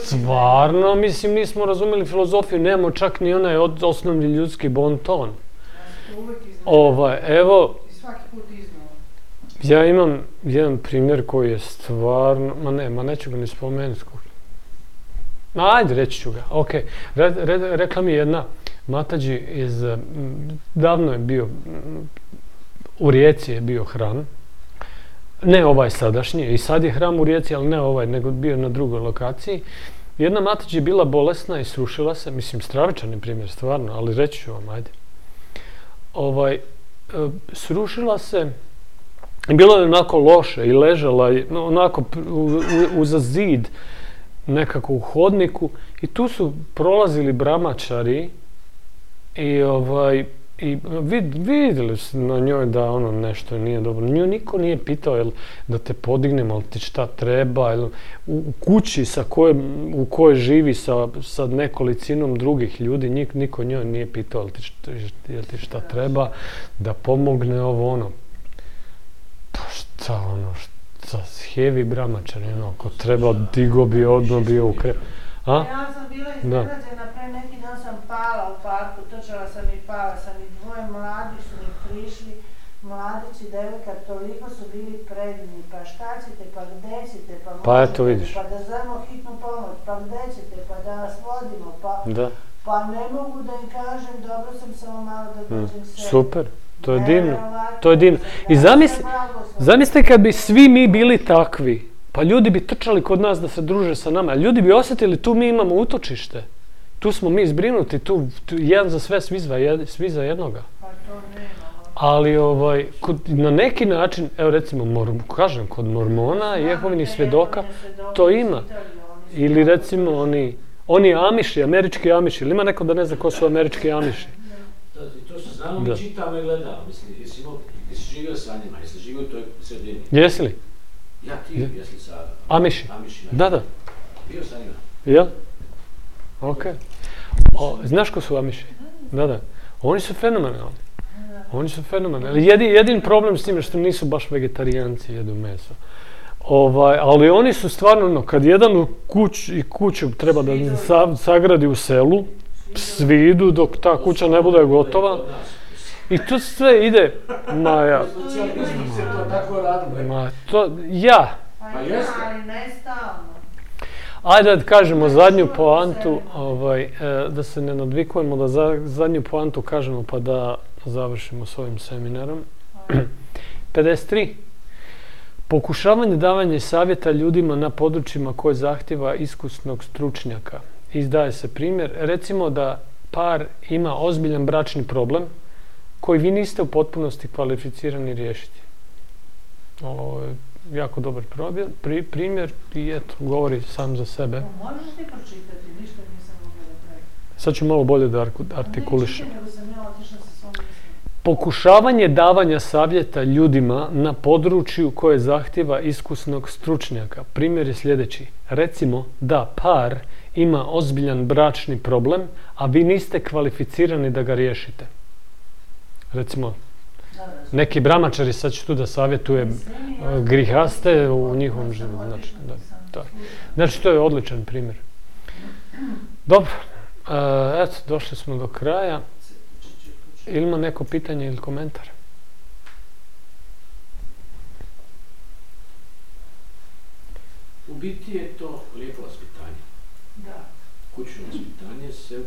stvarno, mislim, nismo razumeli filozofiju, nemamo čak ni onaj osnovni ljudski bon ton. Evo, ja imam jedan primjer koji je stvarno, neću ga ni spomenuti. Ajde, reći ću ga, okej. Rekla mi jedna matađi davno je bio, u Rijeci je bio hram, ne ovaj sadašnji, i sad je hram u Rijeci, ali ne ovaj, nego bio na drugoj lokaciji. Jedna matađi je bila bolesna i srušila se, mislim, stravičan je primjer, stvarno, ali reći ću vam, ajde. Srušila se, bilo je onako loše i ležala je onako uza zid nekako u hodniku i tu su prolazili bramačari i vidjeli su na njoj da nešto nije dobro. Nju niko nije pitao da te podignemo, ali ti šta treba, u kući u kojoj živi sa nekolicinom drugih ljudi, niko njoj nije pitao jel ti šta treba, da pomogne ovo. Pa šta heavy bramačar, ako treba digo bi odmah bio u krep. Ja sam bila iznenađena, pre neki dan sam pala u parku, trčala sam i pala sam i dvoje mladi su mi prišli, mladići, devojka, toliko su bili predivni, pa šta ćete, pa gde ćete, pa eto vidiš. Pa da zovemo hitnu pomoć, pa gde ćete, pa da vas vodimo, pa ne mogu da im kažem, dobro sam samo malo da dođem sebi. Super. To je divno, to je divno. I zamislite kad bi svi mi bili takvi, pa ljudi bi trčali kod nas da se druže sa nama, a ljudi bi osjetili tu mi imamo utočište, tu smo mi zbrinuti, tu jedan za sve, svi za jednoga. Ali na neki način, evo recimo, kažem, kod mormona i Jehovinih svjedoka, to ima. Ili recimo oni Amiši, američki Amiši, ili ima neko da ne zna ko su američki Amiši? To se znamo, mi čitamo i gledamo, mislim, jesi živio sa njima, jesi živio u toj sredini? Jesi li? Ja, ti, jesi sa Amiši? Da. Bio sa njima? Jel? Okej. Znaš ko su Amiši? Da. Oni su fenomenalni. Jedin problem s tim što nisu baš vegetarijanci, jedu meso. Ali oni su stvarno, kad jedan u kuću treba da sagradi u selu, svi idu dok ta kuća ne bude gotova i to sve ide, Ali ne stalno. Ajde da kažemo zadnju poantu, da se ne nadvikujemo, da zadnju poantu kažemo pa da završimo s ovim seminarom. 53. Pokušavanje davanja savjeta ljudima na područjima koje zahtjeva iskusnog stručnjaka. Izdaje se primjer, recimo da par ima ozbiljan bračni problem koji vi niste u potpunosti kvalificirani riješiti. Ovo je jako dobar primjer i eto, govori sam za sebe. Možeš ti pročitati, ništa nisam mogla da pravim. Sad ću malo bolje da artikulišem. Pokušavanje davanja savjeta ljudima na području koje zahtjeva iskusnog stručnjaka. Primjer je sljedeći. Recimo da par ima ozbiljan bračni problem, a vi niste kvalificirani da ga riješite. Recimo, neki bramačari, sad ću tu da savjetuje grihaste u njihovom životu. Znači, to je odličan primjer. Dobro, Eto, došli smo do kraja. Ili ima neko pitanje ili komentar? U biti je to lijepo vaspitanje. Da. Kućno vaspitanje se